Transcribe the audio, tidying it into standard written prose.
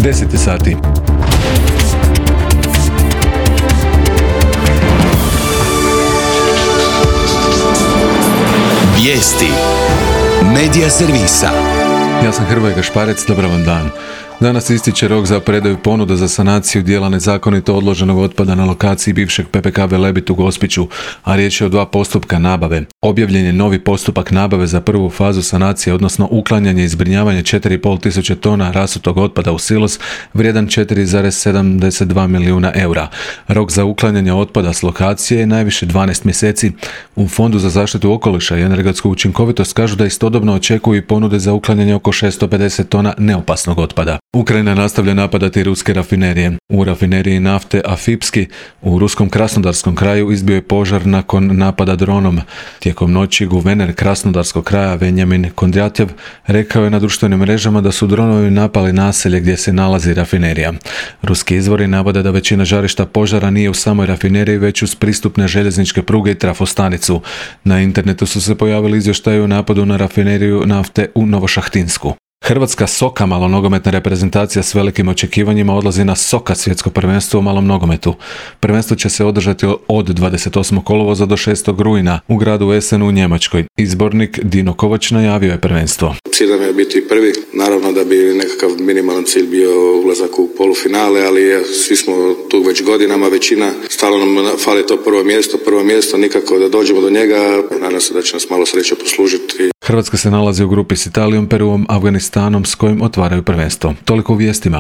10 sati. Vijesti Medija servisa. Ja sam Hrvoje Gašparec, dobar vam dan. Danas ističe rok za predaju ponuda za sanaciju dijela nezakonito odloženog otpada na lokaciji bivšeg PPK Velebit u Gospiću, a riječ je o 2 postupka nabave. Objavljen je novi postupak nabave za prvu fazu sanacije, odnosno uklanjanje i zbrinjavanje 4.500 tona rasutog otpada u silos vrijedan 4,72 milijuna eura. Rok za uklanjanje otpada s lokacije je najviše 12 mjeseci. U Fondu za zaštitu okoliša i energetsku učinkovitost kažu da istodobno očekuju i ponude za uklanjanje oko 650 tona neopasnog otpada. Ukrajina nastavlja napadati ruske rafinerije. U rafineriji nafte Afipski u ruskom Krasnodarskom kraju izbio je požar nakon napada dronom. Tijekom noći guverner Krasnodarskog kraja Venjamin Kondratjev rekao je na društvenim mrežama da su dronovi napali naselje gdje se nalazi rafinerija. Ruski izvori navode da većina žarišta požara nije u samoj rafineriji, već uz pristupne željezničke pruge i trafostanicu. Na internetu su se pojavili izvještaji o napadu na rafineriju nafte u Novošahtinsku. Hrvatska SOKA malonogometna reprezentacija s velikim očekivanjima odlazi na SOKA svjetsko prvenstvo u malom nogometu. Prvenstvo će se održati od 28. kolovoza do 6. rujna u gradu Essenu u Njemačkoj. Izbornik Dino Kovač najavio je prvenstvo. Cilj nam je biti prvi, naravno da bi nekakav minimalan cilj bio ulazak u polufinale, ali svi smo tu već godinama, većina, stalno nam fali to prvo mjesto, nikako da dođemo do njega, nadam se da će nas malo sreće poslužiti. Hrvatska se nalazi u grupi s Italijom, Peruom, Afganistanom s kojim otvaraju prvenstvo. Toliko u vijestima.